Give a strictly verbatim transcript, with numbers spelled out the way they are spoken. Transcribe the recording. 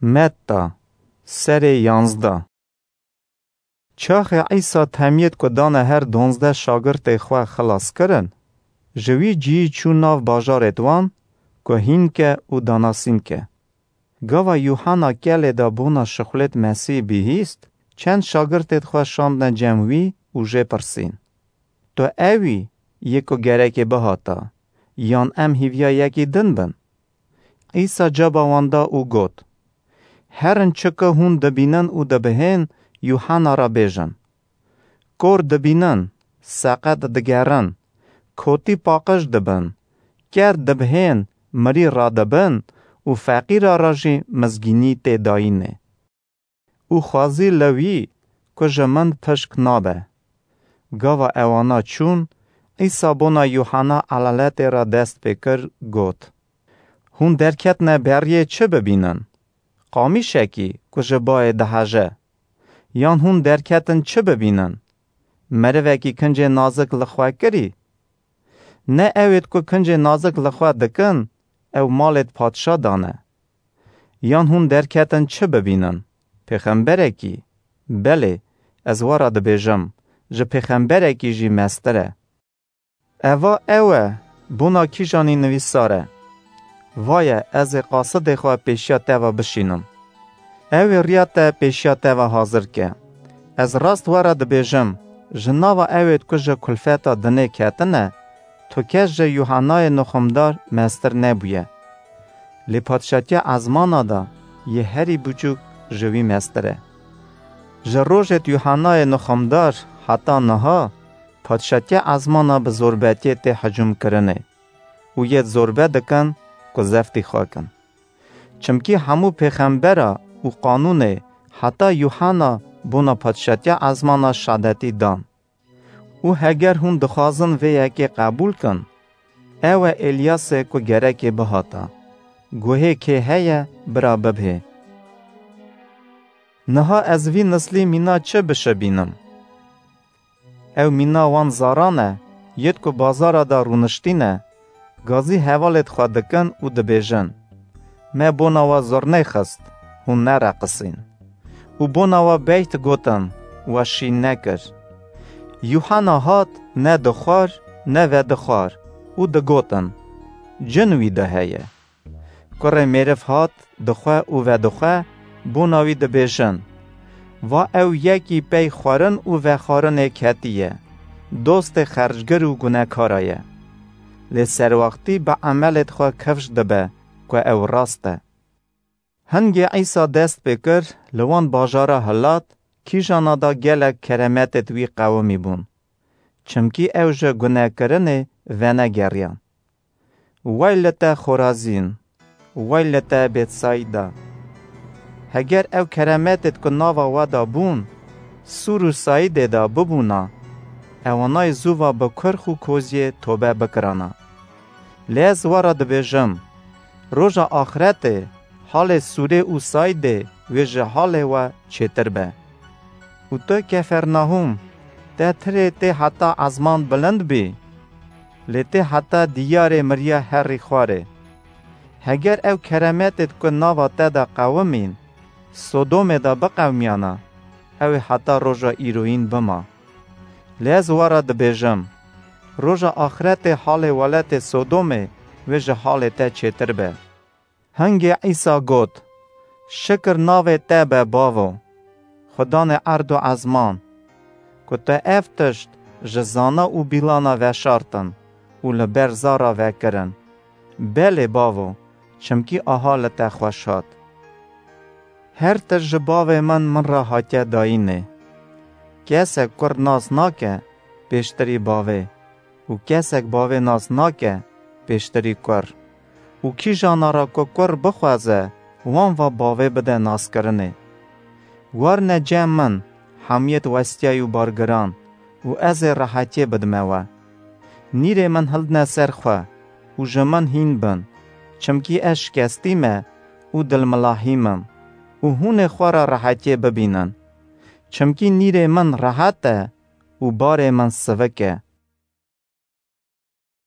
Metta, serê yanzdeh. Çaxê Îsa temiyêt ku dane her donzdeh şagirtê xwe xilas kirin, ji wî cihî çû nav bajarêt wan ku hînke û danasînke. Gava Yuhanna kelê de bona şixulêt Mesîh bihîst, çend şagirtêt xwe şandne cem wî û jê pirsîn: "Tu ew î yê ku gerekê bihata, yan em hîviya yekî din bin?" Îsa caba wan da û got: "Herin çi ku hûn dibînin û dibihên, Yuhanna re bêjin: Kor dibînin, seqet digerin, kotî paqij dibin, ker dibihên, mirî radibin û feqîra re jî mizgînî tê dayînê. Û xwezî li wî ku ji min pişk nabe." Gava ewana çûn, Îsa bona Yuhanna elaletê re dest pê kir, got: "Hûn derketine beriyê çi bibînin? Qamîşekî ku ji bayê diheje? Yan hûn derketin çi bibînin? Merivekî kincê nazik li xwe kirî? Ne ewêt ku kincê nazik li xwe dikin, ew malêt padşa dane? Yan hûn derketin çi bibînin? Pêxemberekî? Belê, ez we re dibêjim, ji pêxemberekî jî mestir e. Eva ew e, bona kîjanî nivîsar e: Vaye, ez ê qasidê xwe pêşiya te ve bişînim. Ew ê riya te pêşiya te ve hazir ke. Ez rast we re dibêjim, ji nava ewêt ku ji kulfeta dinê ketine, tu kes ji Yuhannayê Nixumdar mestir nebûye. Lê padşatiya ezmana de yê herî biçûk ji wî mestir e. Ji rojêt Yuhannayê Nixumdar heta niha, padşatiya ezmana bi zorbetiyê tê hicûm kirinê û yêt zorbe dikin ku zeftî xwe kin. Çimkî hemû pêxembera û qanûnê heta Yuhanna bona padşatiya ezmana şadetî dan. Û heger hûn dixwazin vê yekê qebûl kin, ew e Êlyasê ku gerekê bihata. Guhê kê heye, bira bibhê. Niha ez vî nislî mîna çi bişibînim? Ew mîna wan zaran e, yêt ku bazara de rûniştîne, gazî hevalêt xwe dikin û dibêjin: Me bona we zurney xist, hûn nereqisîn. Û bona we beyt gotin, we şîn nekir. Yuhanna hat, ne dixwar, ne vedixwar û digotin: Cin wî de heye. Kurê mêriv hat, dixwe û vedixwe, bona wî dibêjin: Va ew yekî pey xwarin û vexwarinê ketiye, dostê xercgir û gunekara ye. Lê serwextî bi emelêt xwe kifş dibe ku ew rast e. Hingê Îsa dest pê kir, li wan bajara hilat, kîjana da gelek keremetêt wî qewimî bûn. Çimkî ew ji gunekirinê venegeriyan. Wey li te Xorazîn! Wey li te Bêtsayda! Heger ew keremetêt ku nava we de bûn, Sûr û Saîdê de bibûna, ewanayê zû va bi kurx û koziyê tobe bikirana. Lê ez we re dibêjim, roja axretê halê Sûrê û Saîdê wê ji halê we çêtir be. Û tu Kefernahûm, te tirê tê heta ezman bilind bî, lê tê heta diyarê miriya herî xwarê. Heger ew keremetêt ku nava te de qewimîn, Sodomê de biqewimiyana, ew ê heta roja îroyîn bima. Lê ez we re dibêjim, roja axretê halê welatê Sodomê wê ji halê te çêtir be. Hingê Îsa got: Şikir navê te be, Bavo, Xudanê erd û ezman, ku te ev tişt ji zana û bîlana veşartin û li ber zara vekirin. Belê, Bavo, çimkî aha li te xweş hat. Her tişt ji bavê min min re hatiye dayînê. Kesek kur nas nake pêştirî bavê û kesek bavê nas nake pêştirî kur. Û kîjana re ku kur bixwaze, wan va bavê bide naskirinê. Warine cem min, hemiyêt westiyayî û bargiran, û ez ê rehetiyê bidime we. Nîrê min hildine ser xwe û ji min hîn bin, çimkî ez şikestî me û dilmilahî mim û hûn ê xwe re rehetiyê bibînin. Çimkî nîrê min rehet e û barê min sivik e.